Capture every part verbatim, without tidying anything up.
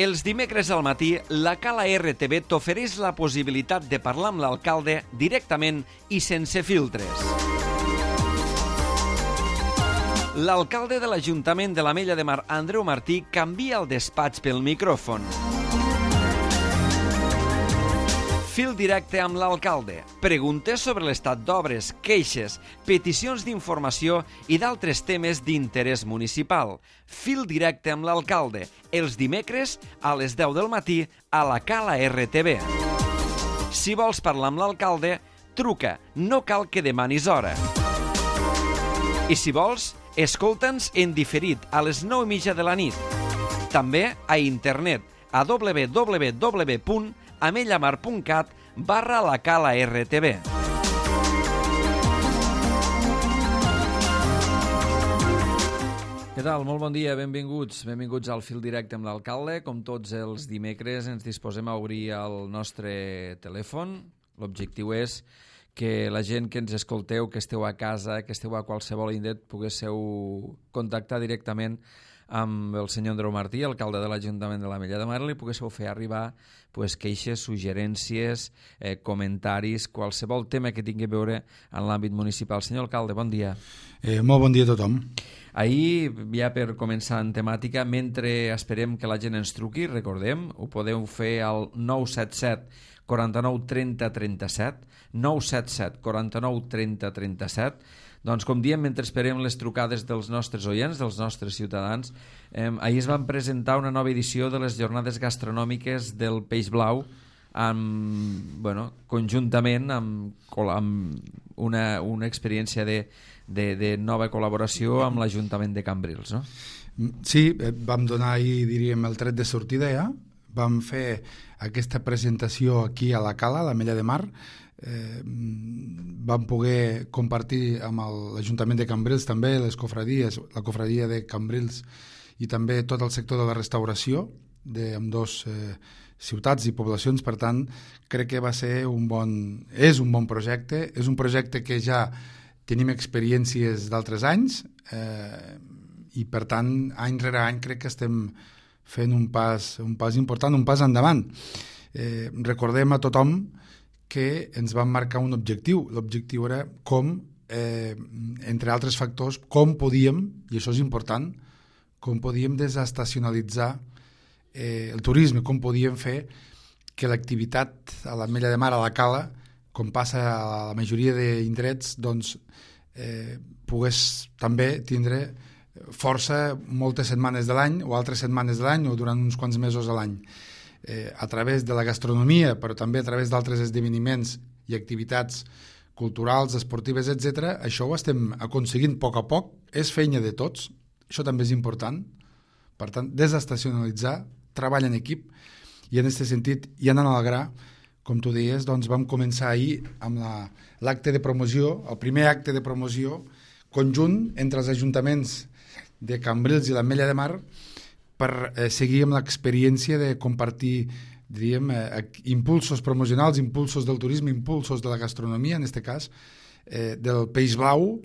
Els dimecres al matí, la Cala R T V t'ofereix la possibilitat de parlar amb l'alcalde directament i sense filtres. L'alcalde de l'Ajuntament de l'Ametlla de Mar, Andreu Martí, canvia el despatx pel micròfon. Fil directe amb l'alcalde. Preguntes sobre l'estat d'obres, queixes, peticions d'informació i d'altres temes d'interès municipal. Fil directe amb l'alcalde. Els dimecres a les deu del matí a la Cala R T V. Si vols parlar amb l'alcalde, truca. No cal que demanis hora. I si vols, escolta'ns en diferit a les nou i mitja de la nit. També a internet a w w w punt amellamar punt cat barra la Cala R T V. Què tal? Molt bon dia, benvinguts. Benvinguts al Fil Directe amb l'alcalde. Com tots els dimecres ens disposem a obrir el nostre telèfon. L'objectiu és que la gent que ens escolteu, que esteu a casa, que esteu a qualsevol indret, poguéssiu contactar directament amb el senyor Andreu Martí, alcalde de l'Ajuntament de l'Ametlla de Mar, li poguéssiu fer arribar pues, queixes, suggerències, eh, comentaris, qualsevol tema que tingui a veure en l'àmbit municipal. Senyor alcalde, bon dia. Eh, molt bon dia a tothom. Ahir, ja per començar en temàtica, mentre esperem que la gent ens truqui, recordem, ho podeu fer al nou set set quaranta-nou trenta trenta-set, nou set set quaranta-nou trenta trenta-set. Doncs, com diem, mentre esperem les trucades dels nostres oients, dels nostres ciutadans, eh, ahir es van presentar una nova edició de les jornades gastronòmiques del Peix Blau, amb, bueno, conjuntament amb, amb una, una experiència de, de, de nova col·laboració amb l'Ajuntament de Cambrils, no? Sí, vam donar ahir, diríem, el tret de sortida ja. Vam fer aquesta presentació aquí a la Cala, a l'Ametlla de Mar. Eh, vam poder compartir amb l'Ajuntament de Cambrils també les cofradies, la cofradia de Cambrils i també tot el sector de la restauració d'ambdós eh, ciutats i poblacions. Per tant, crec que va ser un bon, és un bon projecte, és un projecte que ja tenim experiències d'altres anys eh, i per tant, any rere any crec que estem fent un pas, un pas important, un pas endavant. Eh, recordem a tothom que ens van marcar un objectiu. L'objectiu era com, eh, entre altres factors, com podíem, i això és important, com podíem desestacionalitzar eh, el turisme, com podíem fer que l'activitat a l'Ametlla de Mar, a la Cala, com passa a la majoria d'indrets, doncs, eh, pogués també tindre força moltes setmanes de l'any o altres setmanes de l'any o durant uns quants mesos a l'any. Eh, a través de la gastronomia, però també a través d'altres esdeveniments i activitats culturals, esportives, etcètera. Això ho estem aconseguint a poc a poc, és feina de tots, això també és important. Per tant, desestacionalitzar, treball en equip, i en aquest sentit, i anant al gra, com tu deies, doncs vam començar ahir amb l'acte de promoció, el primer acte de promoció conjunt entre els ajuntaments de Cambrils i l'Ametlla de Mar, per eh, seguir amb l'experiència de compartir, diríem, eh, impulsos promocionals, impulsos del turisme, impulsos de la gastronomia, en aquest cas, eh, del Peix Blau,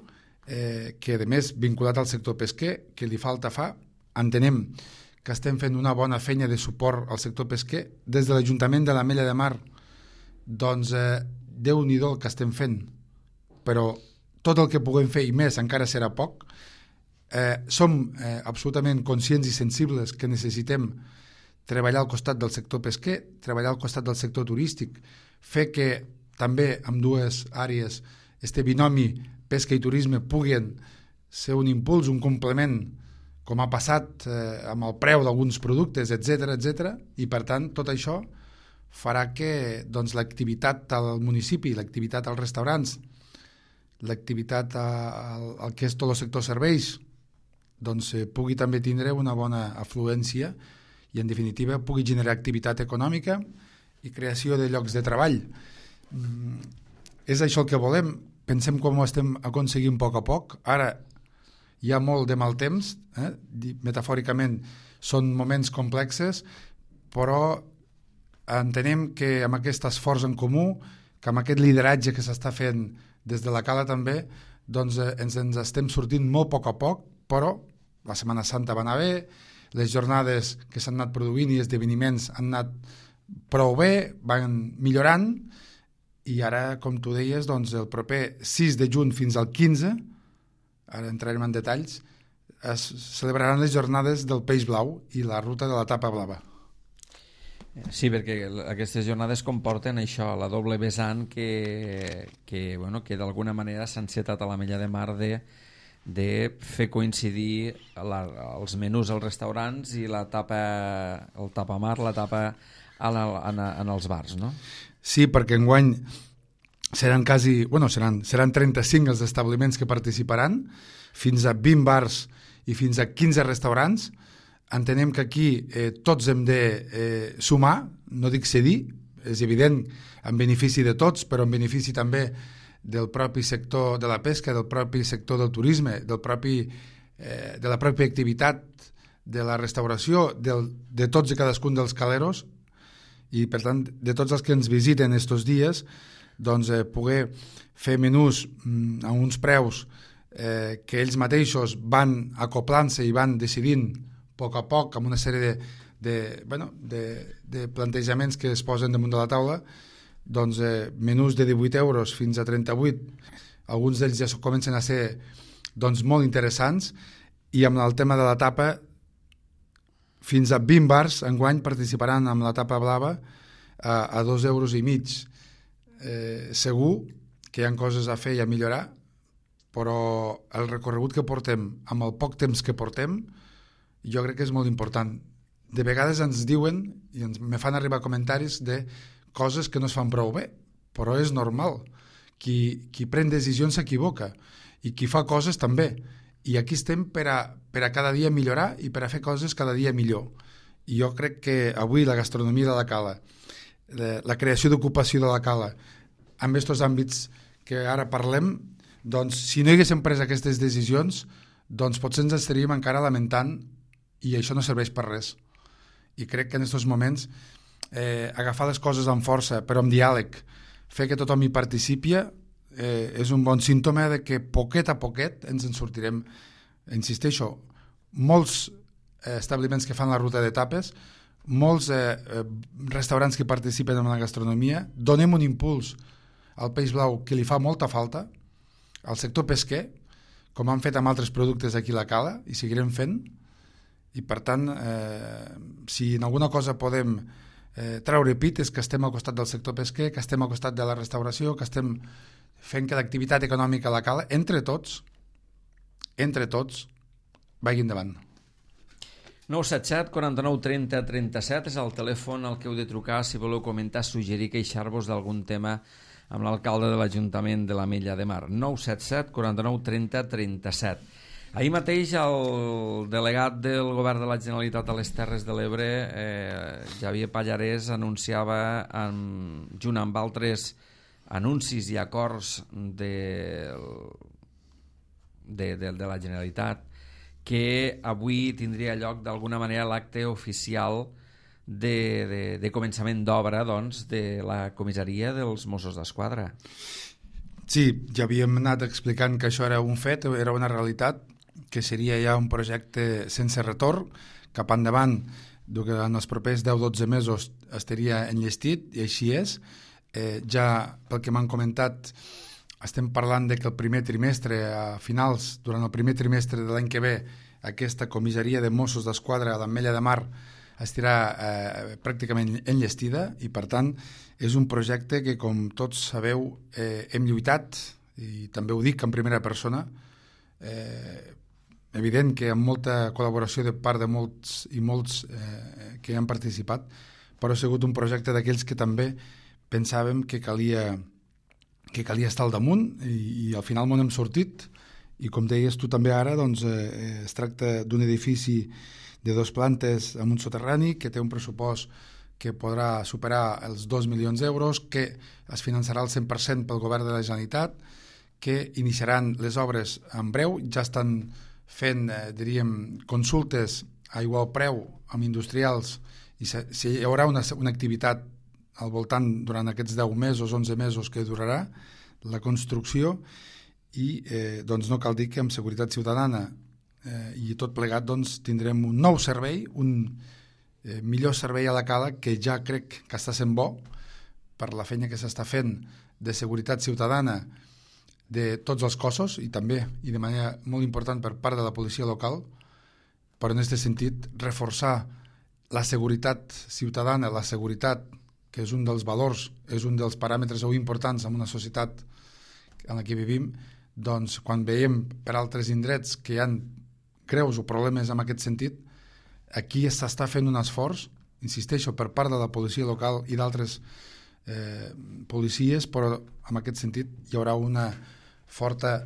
eh, que a més vinculat al sector pesquer, que li falta fa. Entenem que estem fent una bona feina de suport al sector pesquer. Des de l'Ajuntament de l'Ametlla de Mar, doncs, eh, Déu-n'hi-do el que estem fent, però tot el que puguem fer i més encara serà poc. Eh, som eh, absolutament conscients i sensibles que necessitem treballar al costat del sector pesquer, treballar al costat del sector turístic, fer que també amb dues àrees este binomi pesca i turisme puguin ser un impuls, un complement, com ha passat eh, amb el preu d'alguns productes, etcètera, etcètera, i per tant tot això farà que doncs, l'activitat al municipi, l'activitat als restaurants, l'activitat al, al que és tot el sector serveis, doncs eh, pugui també tindre una bona afluència i en definitiva pugui generar activitat econòmica i creació de llocs de treball. Mm, és això el que volem. Pensem com ho estem aconseguint a poc a poc. Ara hi ha molt de mal temps, eh? Metafòricament són moments complexes, però entenem que amb aquest esforç en comú, que amb aquest lideratge que s'està fent des de la Cala també, doncs eh, ens, ens estem sortint molt a poc a poc, però la Setmana Santa va anar bé, les jornades que s'han anat produint i esdeveniments han anat prou bé, van millorant, i ara, com tu deies, doncs el proper sis de juny fins al quinze, ara entrarem en detalls, es celebraran les jornades del peix blau i la ruta de la tapa blava. Sí, perquè aquestes jornades comporten això, la doble vessant que, que, bueno, que d'alguna manera s'ha encetat a l'Ametlla de Mar de, de fer coincidir la, els menús als restaurants i la tapa, el tapamar, la tapa en, el, en, en els bars, no? Sí, perquè enguany seran quasi, bueno, seran, seran trenta-cinc els establiments que participaran, fins a vint bars i fins a quinze restaurants. Entenem que aquí eh, tots hem de eh, sumar, no dic cedir, és evident, en benefici de tots, però en benefici també del propi sector de la pesca, del propi sector del turisme, del propi, eh, de la pròpia activitat, de la restauració, del, de tots i cadascun dels caleros, i per tant de tots els que ens visiten estos dies, doncs eh, poder fer menús mm, a uns preus eh, que ells mateixos van acoplant-se i van decidint a poc a poc, amb una sèrie de, de, bueno, de, de plantejaments que es posen damunt de la taula, doncs eh, menús de divuit euros fins a trenta-vuit, alguns d'ells ja comencen a ser doncs, molt interessants, i amb el tema de la tapa fins a vint bars enguany participaran amb la tapa blava a, a dos euros i mig. Eh, segur que hi ha coses a fer i a millorar, però el recorregut que portem, amb el poc temps que portem, jo crec que és molt important. De vegades ens diuen, i ens me fan arribar comentaris de coses que no es fan prou bé, però és normal. Qui, qui pren decisions s'equivoca, i qui fa coses també. I aquí estem per a, per a cada dia millorar i per a fer coses cada dia millor. I jo crec que avui la gastronomia de la Cala, la creació d'ocupació de la Cala, amb aquests àmbits que ara parlem, doncs si no haguéssim pres aquestes decisions, doncs potser ens estaríem encara lamentant, i això no serveix per res. I crec que en aquests moments eh, agafar les coses amb força, però amb diàleg, fer que tothom hi participi, eh, és un bon símptoma de que poquet a poquet ens en sortirem. Insisteixo, molts eh, establiments que fan la ruta de tapes, molts eh, eh, restaurants que participen en la gastronomia, donem un impuls al peix blau que li fa molta falta, al sector pesquer, com han fet amb altres productes aquí a la Cala, i seguirem fent. I per tant, eh, si en alguna cosa podem eh, treure pit és que estem al costat del sector pesquer, que estem al costat de la restauració, que estem fent que l'activitat econòmica a la Cala, entre tots, entre tots, vagi endavant. nou set set, quaranta-nou, trenta, trenta-set és el telèfon al que heu de trucar si voleu comentar, suggerir, queixar-vos d'algun tema amb l'alcalde de l'Ajuntament de l'Ametlla de Mar. nou set set, quaranta-nou, trenta, trenta-set. Ahir mateix el delegat del Govern de la Generalitat a les Terres de l'Ebre, eh, Xavier Pallarès, anunciava, en, junt amb altres anuncis i acords de, de, de, de la Generalitat, que avui tindria lloc d'alguna manera l'acte oficial de, de, de començament d'obra, doncs, de la comissaria dels Mossos d'Esquadra. Sí, ja havíem anat explicant que això era un fet, era una realitat, que seria ja un projecte sense retorn, cap endavant, que en els propers deu a dotze mesos estaria enllestit, i així és. Eh, ja, pel que m'han comentat, estem parlant de que el primer trimestre, a finals, durant el primer trimestre de l'any que ve, aquesta comissaria de Mossos d'Esquadra a l'Ametlla de Mar estarà eh, pràcticament enllestida, i per tant és un projecte que, com tots sabeu, eh, hem lluitat, i també ho dic en primera persona, eh, evident que amb molta col·laboració de part de molts i molts eh, que han participat, però ha sigut un projecte d'aquells que també pensàvem que calia, que calia estar al damunt, i, i al final m'ho hem sortit, i com deies tu també ara, doncs, eh, es tracta d'un edifici de dos plantes amb un soterrani que té un pressupost que podrà superar els dos milions d'euros, que es finançarà al cent per cent pel Govern de la Generalitat, que iniciaran les obres en breu, ja estan fent, eh, diríem, consultes a igual preu amb industrials, i se, si hi haurà una, una activitat al voltant durant aquests deu mesos, onze mesos que durarà la construcció, i eh, doncs no cal dir que amb Seguretat Ciutadana eh, i tot plegat doncs, tindrem un nou servei, un eh, millor servei a la cala que ja crec que està sent bo per la feina que s'està fent de seguretat ciutadana de tots els cossos i també, i de manera molt important per part de la policia local, però en aquest sentit reforçar la seguretat ciutadana, la seguretat que és un dels valors, és un dels paràmetres importants en una societat en la que vivim, doncs quan veiem per altres indrets que hi ha greus o problemes en aquest sentit, aquí s'està fent un esforç, insisteixo, per part de la policia local i d'altres eh, policies, però en aquest sentit hi haurà una forta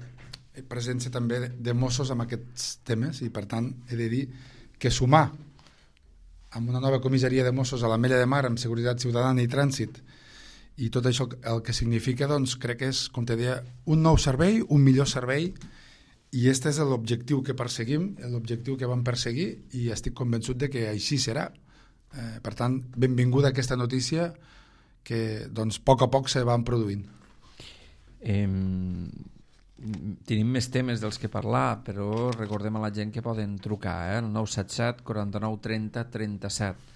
presència també de Mossos en aquests temes i per tant he de dir que sumar amb una nova comissaria de Mossos a l'Ametlla de Mar amb seguretat ciutadana i trànsit i tot això el que significa doncs crec que és, com te deia, un nou servei, un millor servei i aquest és l'objectiu que perseguim, l'objectiu que vam perseguir i estic convençut de que així serà. Eh, per tant, benvinguda aquesta notícia que doncs a poc a poc se van produint. Eh, tenim més temes dels que parlar, però recordem a la gent que poden trucar, eh? El nou set set quaranta-nou trenta trenta-set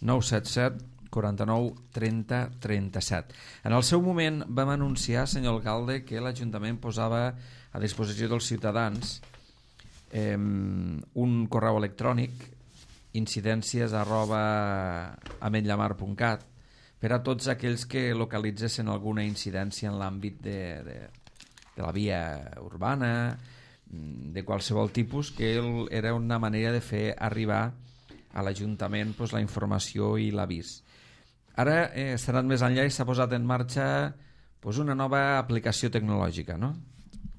nou set set quaranta-nou trenta trenta-set. En el seu moment vam anunciar, senyor alcalde, que l'Ajuntament posava a disposició dels ciutadans eh, un correu electrònic incidències arroba ametlamar punt cat per a tots aquells que localitzessin alguna incidència en l'àmbit de, de, de la via urbana, de qualsevol tipus, que era una manera de fer arribar a l'Ajuntament pues, la informació i l'avís. Ara eh, s'ha anat més enllà i s'ha posat en marxa pues, una nova aplicació tecnològica, no?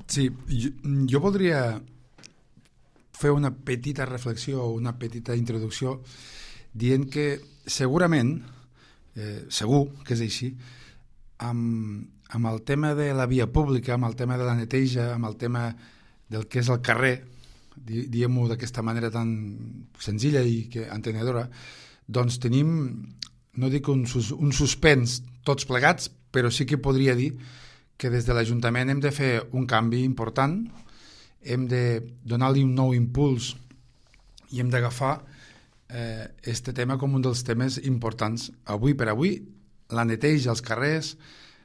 Sí, jo, jo voldria fer una petita reflexió, una petita introducció, dient que segurament, eh, segur que és així, amb, amb el tema de la via pública, amb el tema de la neteja, amb el tema del que és el carrer, di, diguem-ho d'aquesta manera tan senzilla i que entenedora, doncs tenim, no dic un, sus, un suspens tots plegats, però sí que podria dir que des de l'Ajuntament hem de fer un canvi important, hem de donar-li un nou impuls i hem d'agafar eh, este tema com un dels temes importants. Avui per avui, la neteja als carrers,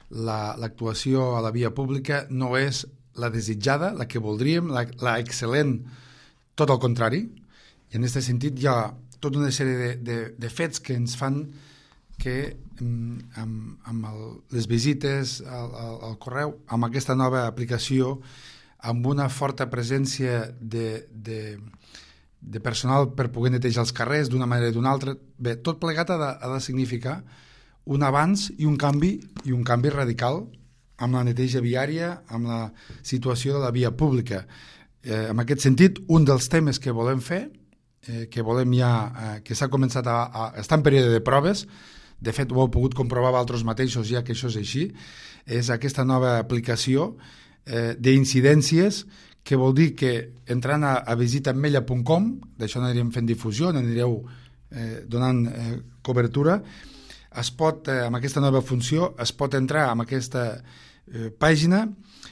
la, l'actuació a la via pública no és la desitjada, la que voldríem, la, la excel·lent, tot el contrari. I en aquest sentit hi ha tota una sèrie de, de, de fets que ens fan que amb, amb el, les visites al, al, al correu, amb aquesta nova aplicació, amb una forta presència de, de, de personal per poder netejar els carrers d'una manera o d'una altra, bé, tot plegat ha de, ha de significar un avanç i un canvi, i un canvi radical amb la neteja viària, amb la situació de la via pública. Eh, en aquest sentit, un dels temes que volem fer, eh, que volem ja, eh, que s'ha començat a, a estar en període de proves, de fet ho heu pogut comprovar vosaltres mateixos ja que això és així, és aquesta nova aplicació eh, d'incidències, que vol dir que entrant a, a visita ametlla punt com, d'això anirem fent difusió, anireu eh, donant eh, cobertura, es pot, eh, amb aquesta nova funció, es pot entrar amb aquesta eh, pàgina,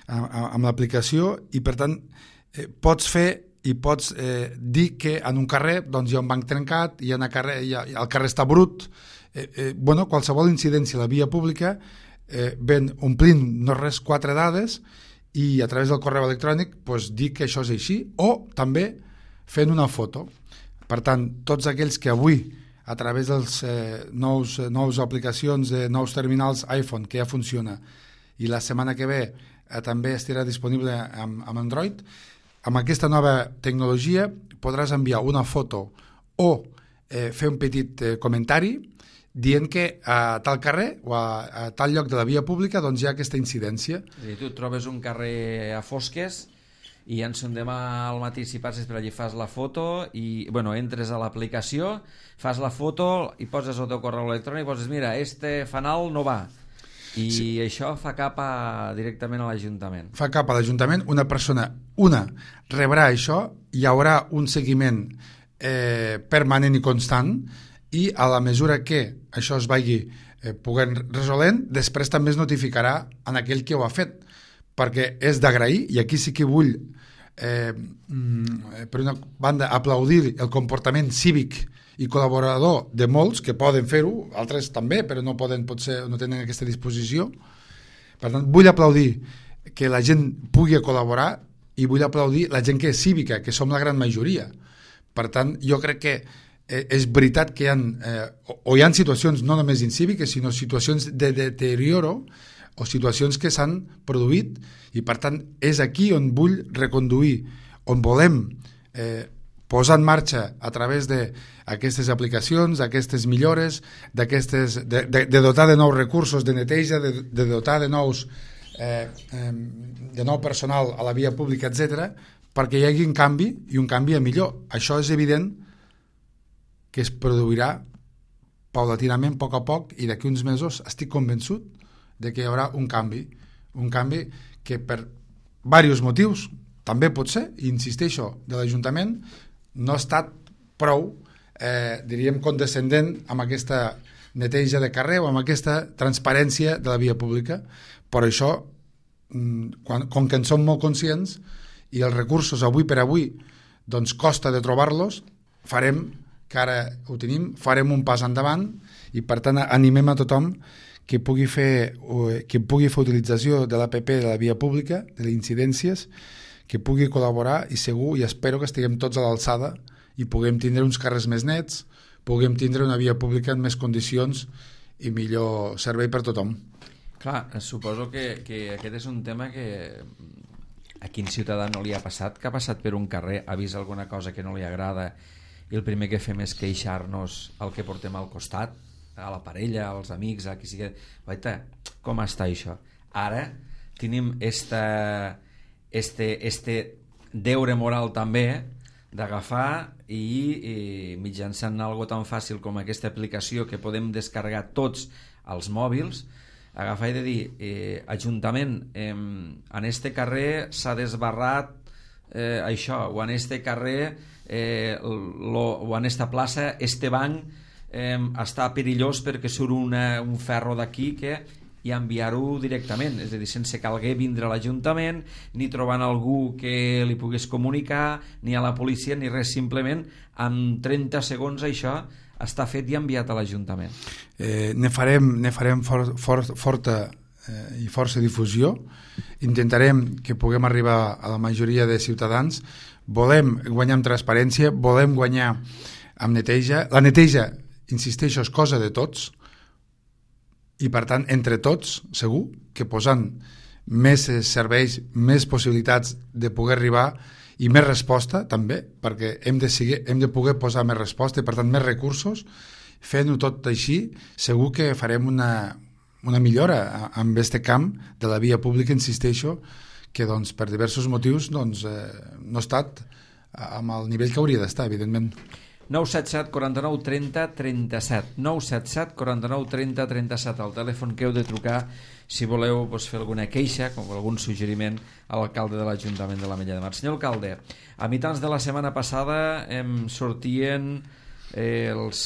amb, amb l'aplicació, i per tant eh, pots fer i pots eh, dir que en un carrer doncs, hi ha un banc trencat, i en el carrer, hi ha, el carrer està brut, eh, eh, bueno, qualsevol incidència a la via pública eh, ven omplint no res quatre dades i a través del correu electrònic pues, dir que això és així, o també fent una foto. Per tant, tots aquells que avui a través dels eh, nous, eh, nous aplicacions de nous terminals iPhone, que ja funciona, i la setmana que ve eh, també estarà disponible amb, amb Android, amb aquesta nova tecnologia podràs enviar una foto o eh, fer un petit eh, comentari dient que a tal carrer o a, a tal lloc de la via pública doncs hi ha aquesta incidència. I tu trobes un carrer a fosques i ens demà al matí si passes per allí fas la foto i bueno, entres a l'aplicació, fas la foto i poses el teu correu electrònic i poses mira, este fanal no va. I sí. Això fa cap a, directament a l'Ajuntament. Fa cap a l'Ajuntament, una persona, una, rebrà això, hi haurà un seguiment eh, permanent i constant i a la mesura que això es vagi eh, poguent resolent, després també es notificarà en aquell que ho ha fet, perquè és d'agrair, i aquí sí que vull eh, per una banda, aplaudir el comportament cívic i col·laborador de molts que poden fer-ho, altres també, però no poden, potser no tenen aquesta disposició. Per tant, vull aplaudir que la gent pugui col·laborar i vull aplaudir la gent que és cívica, que som la gran majoria. Per tant, jo crec que eh, és veritat que hi ha, eh, o hi ha situacions no només incíviques, sinó situacions de deterioro o situacions que s'han produït, i per tant és aquí on vull reconduir, on volem eh, posar en marxa a través d'aquestes aplicacions, d'aquestes millores, d'aquestes, de, de, de dotar de nous recursos de neteja, de, de dotar de nous eh, eh, de nou personal a la via pública, etcètera, perquè hi hagi un canvi i un canvi a millor. Això és evident que es produirà paulatinament, a poc a poc, i d'aquí uns mesos estic convençut de que hi haurà un canvi, un canvi que per diversos motius, també pot ser, i insisteixo, de l'Ajuntament, no ha estat prou, eh, diríem, condescendent amb aquesta neteja de carrer o amb aquesta transparència de la via pública. Per això, quan, com que en som molt conscients i els recursos avui per avui doncs costa de trobar-los, farem, que ara ho tenim, farem un pas endavant i per tant animem a tothom que pugui fer, que pugui fer utilització de l'A P P de la via pública, de les incidències, que pugui col·laborar, i segur i espero que estiguem tots a l'alçada i puguem tindre uns carrers més nets, puguem tindre una via pública en més condicions i millor servei per tothom. Clar, suposo que, que aquest és un tema que a quin ciutadà no li ha passat, que ha passat per un carrer, ha vist alguna cosa que no li agrada i el primer que fem és queixar-nos al que portem al costat, a la parella, als amics, a qui sigui... Vaita, com està això? Ara tenim esta, este, este deure moral també d'agafar i, i mitjançant algo tan fàcil com aquesta aplicació que podem descarregar tots als mòbils, agafar i de dir eh, Ajuntament, eh, en este carrer s'ha desbarrat eh, això, o en este carrer eh, lo, o en esta plaça este banc eh, està perillós perquè surt una, un ferro d'aquí que i enviar-ho directament, és a dir, sense calguer vindre a l'Ajuntament, ni trobant algú que li pogués comunicar, ni a la policia, ni res, simplement en trenta segons això està fet i enviat a l'Ajuntament. Eh, ne farem, ne farem for, for, forta eh, i força difusió, intentarem que puguem arribar a la majoria de ciutadans, volem guanyar amb transparència, volem guanyar amb neteja. La neteja, insisteixo, és cosa de tots, i per tant, entre tots, segur que posant més serveis, més possibilitats de poder arribar i més resposta també, perquè hem de, seguir, hem de poder posar més resposta i per tant més recursos, fent-ho tot així, segur que farem una, una millora amb aquest camp de la via pública, insisteixo, que doncs, per diversos motius doncs, eh, no ha estat amb el nivell que hauria d'estar, evidentment. nou set set, quaranta-nou, trenta, trenta-set nou set set, quaranta-nou, trenta, trenta-set el telèfon que heu de trucar si voleu doncs, fer alguna queixa com algun suggeriment a l'alcalde de l'Ajuntament de l'Ametlla de Mar. Senyor alcalde, a mitjans de la setmana passada em sortien eh, els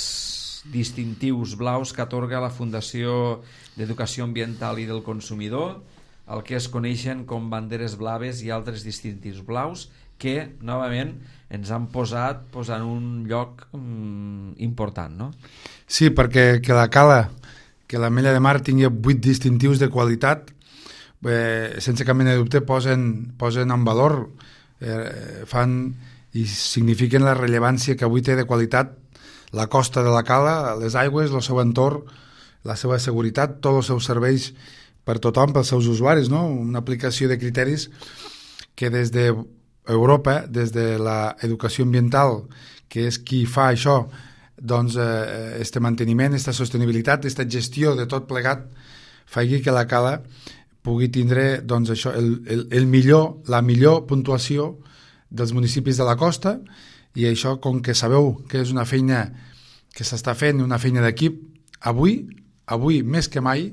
distintius blaus que atorga la Fundació d'Educació Ambiental i del Consumidor, el que es coneixen com banderes blaves i altres distintius blaus, que novament ens han posat pues, en un lloc mm, important, no? Sí, perquè que la cala, que l'Ametlla de Mar tingui vuit distintius de qualitat, eh, sense cap mena de dubte posen, posen en valor, eh, fan i signifiquen la rellevància que avui té de qualitat la costa de la cala, les aigües, el seu entorn, la seva seguretat, tots els seus serveis per tothom, pels seus usuaris, no? Una aplicació de criteris que des de Europa, des de l'educació ambiental, que és qui fa això, doncs eh, este manteniment, esta sostenibilitat, esta gestió de tot plegat, faci que la cala pugui tindre doncs, això, el, el, el millor, la millor puntuació dels municipis de la costa, i això, com que sabeu que és una feina que s'està fent, una feina d'equip, avui, avui més que mai,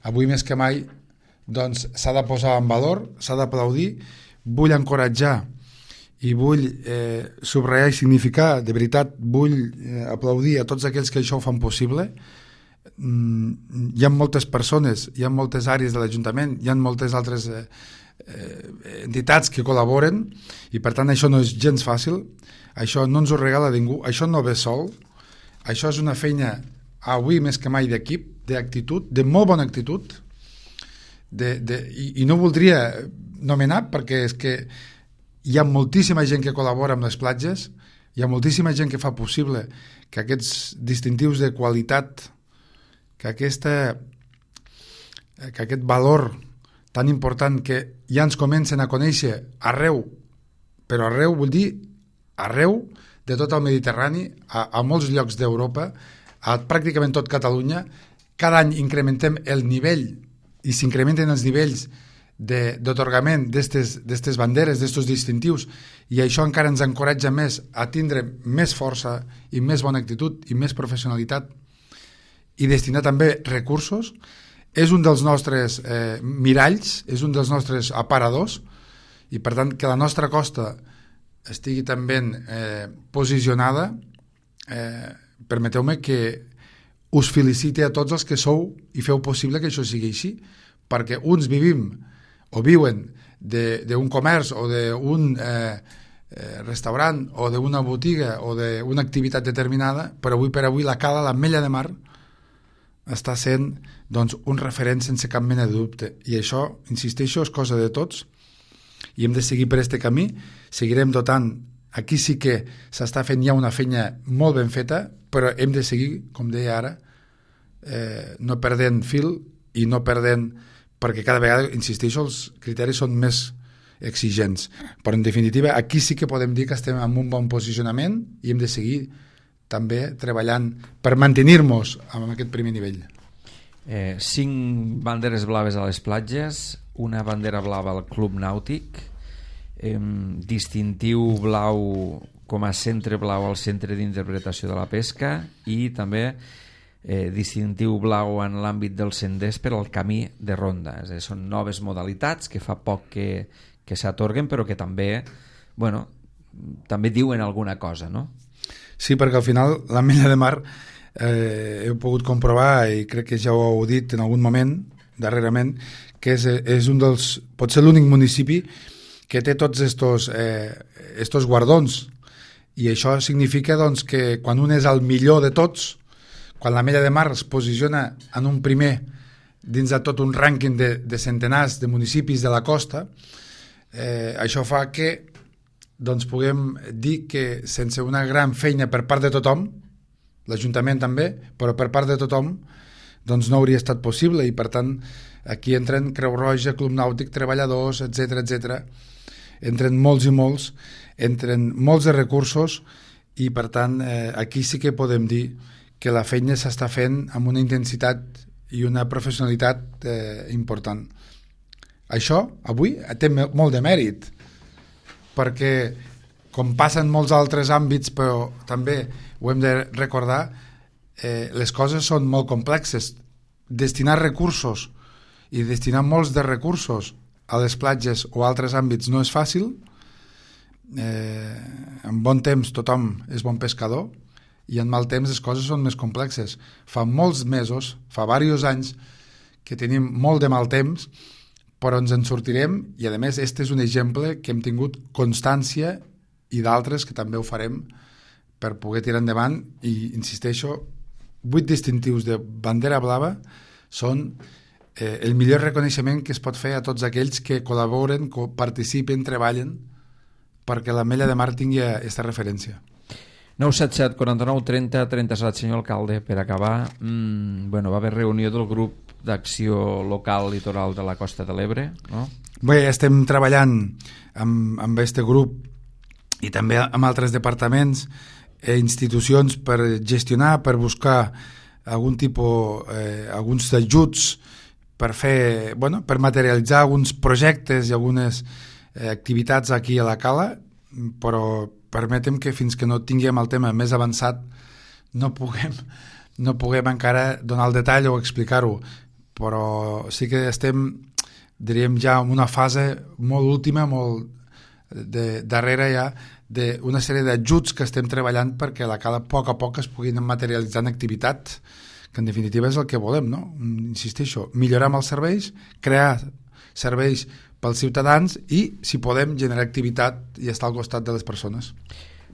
avui més que mai, doncs s'ha de posar en valor, s'ha d'aplaudir. Vull encoratjar i vull eh, subratllar i significar, de veritat, vull eh, aplaudir a tots aquells que això ho fan possible. Mm, hi ha moltes persones, hi ha moltes àrees de l'Ajuntament, hi ha moltes altres eh, eh, entitats que col·laboren, i per tant això no és gens fàcil, això no ens ho regala ningú, això no ve sol, això és una feina avui més que mai d'equip, d'actitud, de molt bona actitud, de, de, i, i no voldria nomenar perquè és que hi ha moltíssima gent que col·labora amb les platges, hi ha moltíssima gent que fa possible que aquests distintius de qualitat, que, aquesta, que aquest valor tan important que ja ens comencen a conèixer arreu, però arreu vull dir arreu de tot el Mediterrani, a, a molts llocs d'Europa, a pràcticament tot Catalunya. Cada any incrementem el nivell i s'incrementen els nivells d'atorgament d'aquestes banderes, d'aquests distintius, i això encara ens encoratja més a tindre més força i més bona actitud i més professionalitat i destinar també recursos. És un dels nostres eh, miralls, és un dels nostres aparadors, i per tant que la nostra costa estigui també eh, posicionada, eh, permeteu-me que us felicite a tots els que sou i feu possible que això sigui així, perquè uns vivim o viuen d'un comerç o d'un eh, eh, restaurant o d'una botiga o d'una activitat determinada, però avui per avui la Cala, l'Ametlla de Mar, està sent doncs, un referent sense cap mena de dubte. I això, insisteixo, és cosa de tots i hem de seguir per aquest camí. Seguirem dotant. Aquí sí que s'està fent ja una feina molt ben feta, però hem de seguir, com deia ara, eh, no perdent fil i no perdent, perquè cada vegada, insisteixo, els criteris són més exigents. Però, en definitiva, aquí sí que podem dir que estem en un bon posicionament i hem de seguir també treballant per mantenir-nos en aquest primer nivell. Eh, cinc banderes blaves a les platges, una bandera blava al Club Nàutic, eh, distintiu blau com a centre blau al Centre d'Interpretació de la Pesca i també eh, distintiu blau en l'àmbit dels senders per al camí de ronda. És a dir, són noves modalitats que fa poc que, que s'atorguen, però que també, bueno, també diuen alguna cosa, no? Sí, perquè al final l'Ametlla de Mar eh, he pogut comprovar, i crec que ja ho heu dit en algun moment darrerament, que és, és un dels, pot ser l'únic municipi que té tots estos, eh, estos guardons, i això significa doncs, que quan un és el millor de tots, quan l'Ametlla de Mar es posiciona en un primer dins de tot un rànquing de, de centenars de municipis de la costa, eh, això fa que doncs puguem dir que sense una gran feina per part de tothom, l'Ajuntament també, però per part de tothom, doncs no hauria estat possible, i per tant aquí entren Creu Roja, Club Nàutic, treballadors, etcètera, etcètera. Entren molts i molts, entren molts de recursos, i per tant eh, aquí sí que podem dir que la feina s'està fent amb una intensitat i una professionalitat eh, important. Això avui té molt de mèrit, perquè com passa en molts altres àmbits, però també ho hem de recordar, eh, les coses són molt complexes. Destinar recursos i destinar molts de recursos a les platges o a altres àmbits no és fàcil. Eh, en bon temps tothom és bon pescador i en mal temps les coses són més complexes. Fa molts mesos, fa diversos anys que tenim molt de mal temps, però ens en sortirem, i a més este és un exemple que hem tingut constància, i d'altres que també ho farem per poder tirar endavant. I insisteixo, vuit distintius de bandera blava són eh, el millor reconeixement que es pot fer a tots aquells que col·laboren, que participen, treballen perquè l'Ametlla de Mar tingui aquesta referència. nou set set, quaranta-nou, trenta, trenta-set, senyor alcalde, per acabar, mmm, bueno, va haver reunió del grup d'acció local litoral de la Costa de l'Ebre, no? Bé, estem treballant amb, amb aquest grup i també amb altres departaments e institucions per gestionar, per buscar algun tipus, eh, alguns ajuts per fer, bueno, per materialitzar alguns projectes i algunes eh, activitats aquí a la Cala, però permetem que fins que no tinguem el tema més avançat no puguem, no puguem encara donar el detall o explicar-ho, però sí que estem, diríem, ja en una fase molt última, molt de, darrere ja, d'una sèrie d'ajuts que estem treballant perquè la Cala a poc a poc es puguin materialitzar en activitats, que en definitiva és el que volem, no? Insisteixo, millorar amb els serveis, crear serveis pels ciutadans i, si podem, generar activitat i estar al costat de les persones.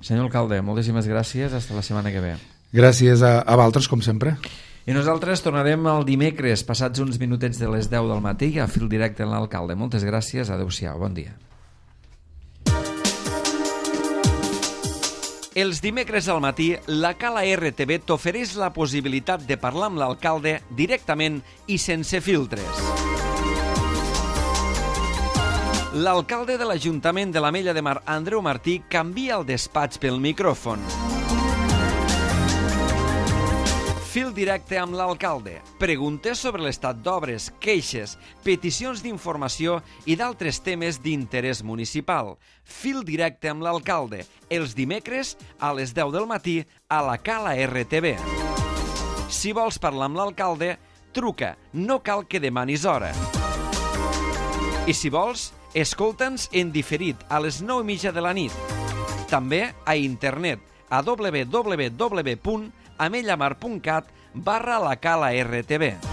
Senyor alcalde, moltíssimes gràcies. Hasta la setmana que ve. Gràcies a, a vosaltres, com sempre. I nosaltres tornarem el dimecres, passats uns minutets de les deu del matí, a Fil Directe amb l'alcalde. Moltes gràcies, adeu-siau, bon dia. Els dimecres al matí, la Cala R T V t'ofereix la possibilitat de parlar amb l'alcalde directament i sense filtres. L'alcalde de l'Ajuntament de l'Ametlla de Mar, Andreu Martí, canvia el despatx pel micròfon. Fil directe amb l'alcalde. Preguntes sobre l'estat d'obres, queixes, peticions d'informació i d'altres temes d'interès municipal. Fil directe amb l'alcalde. Els dimecres a les deu del matí a la Cala R T V. Si vols parlar amb l'alcalde, truca. No cal que demanis hora. I si vols, escolta'ns en diferit a les nou i mitja de la nit. També a internet a w w w punt amellamar punt cat barra la Cala R T V.